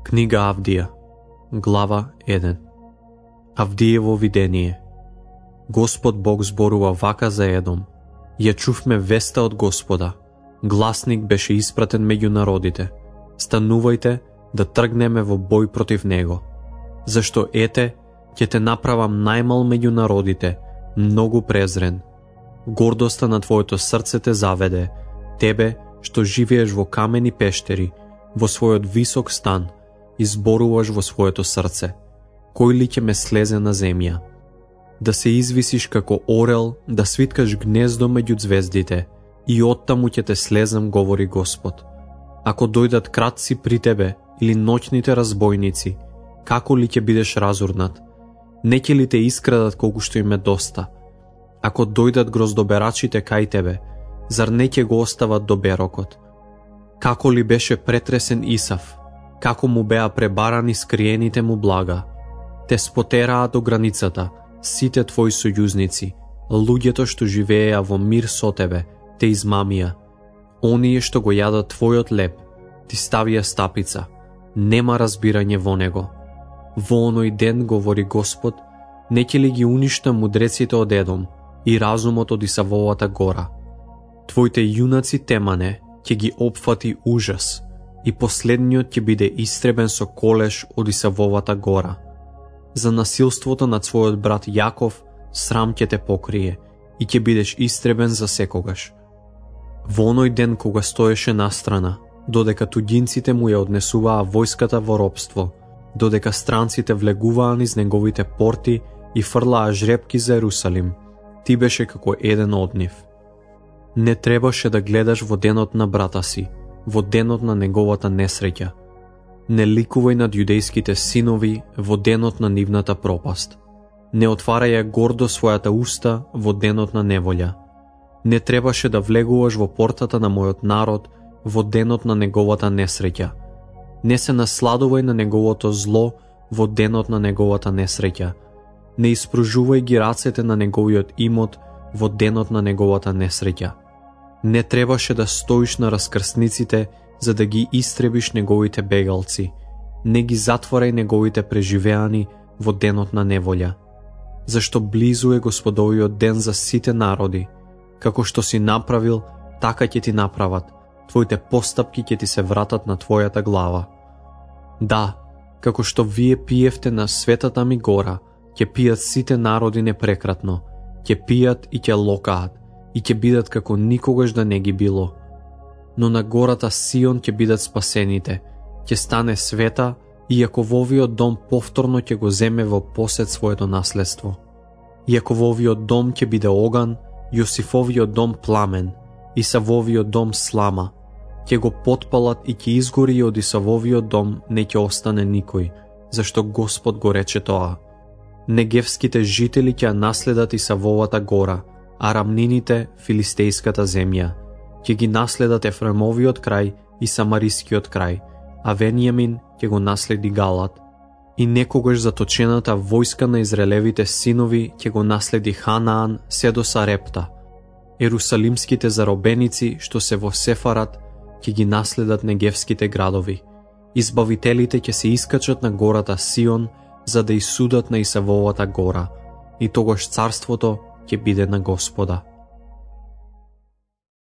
Книга Авдија, глава 1. Авдиево видение. Господ Бог зборува вака за Едом. Ја чувме веста од Господа. Гласник беше испратен меѓу народите. Станувајте да тргнеме во бој против него. Зашто ете, ќе те направам најмал меѓу народите, многу презрен. Гордоста на твоето срце те заведе, тебе што живееш во камени пештери, во својот висок стан, изборуваш во своето срце. Кој ли ќе ме слезе на земја? Да се извисиш како орел, да свиткаш гнездо меѓу звездите, и оттаму ќе те слезам, говори Господ. Ако дојдат кратци при тебе, или ноќните разбойници, како ли ќе бидеш разурнат? Не ќе ли те искрадат колку што им е доста? Ако дојдат гроздоберачите кај тебе, зар не ќе го остават до берокот? Како ли беше претресен Исав, како му беа пребарани скриените му блага? Те спотераа до границата, сите твои сојузници, луѓето што живееа во мир со тебе, те измамија. Оние што го јадат твојот леб, ти ставија стапица, нема разбирање во него. Во оној ден, говори Господ, не ќе ли ги уништа мудреците од Едом и разумот од Исавовата гора? Твоите јунаци Темане ќе ги опфати ужас, и последниот ќе биде истребен со колеш од Исавовата гора. За насилството над својот брат Јаков срам ќе те покрие и ќе бидеш истребен за секогаш. Во оној ден кога стоеше настрана, додека туѓинците му ја однесуваа војската во робство, додека странците влегуваа низ неговите порти и фрлаа жрепки за Ерусалим, ти беше како еден од нив. Не требаше да гледаш во денот на брата си, во денот на неговата несреќа. Не ликувај над јудејските синови во денот на нивната пропаст. Не отварај ја гордо својата уста во денот на неволја. Не требаше да влегуваш во портата на мојот народ во денот на неговата несреќа. Не се насладувај на неговото зло во денот на неговата несреќа. Не испружувај ги рацете на неговиот имот во денот на неговата несреќа. Не требаше да стоиш на раскрсниците за да ги истребиш неговите бегалци. Не ги затворај неговите преживеани во денот на неволја. Зашто близу е Господовиот ден за сите народи. Како што си направил, така ќе ти направат. Твоите постапки ќе ти се вратат на твојата глава. Да, како што вие пиевте на светата ми гора, ќе пијат сите народи непрекратно, ќе пијат и ќе локаат, и ќе бидат како никогаш да не ги било. Но на гората Сион ќе бидат спасените, ќе стане света, и Јакововиот дом повторно ќе го земе во посед своето наследство. Јакововиот дом ќе биде оган, Јосифовиот дом пламен, Исавовиот дом слама. Ќе го потпалат и ќе изгори, и од Исавовиот дом не ќе остане никој, зашто Господ го рече тоа. Негевските жители ќе наследат Исавовата гора, а рамнините филистејската земја. Ќе ги наследат Ефремовиот крај и Самарискиот крај, а Венијамин ќе го наследи Галат. И некогаш заточената војска на израелевите синови ќе го наследи Ханаан се до Сарепта. Ерусалимските заробеници што се во Сефарат ќе ги наследат негевските градови. Избавителите ќе се искачат на гората Сион за да исудат на Исавовата гора, и тогаш царството ќе биде на Господа.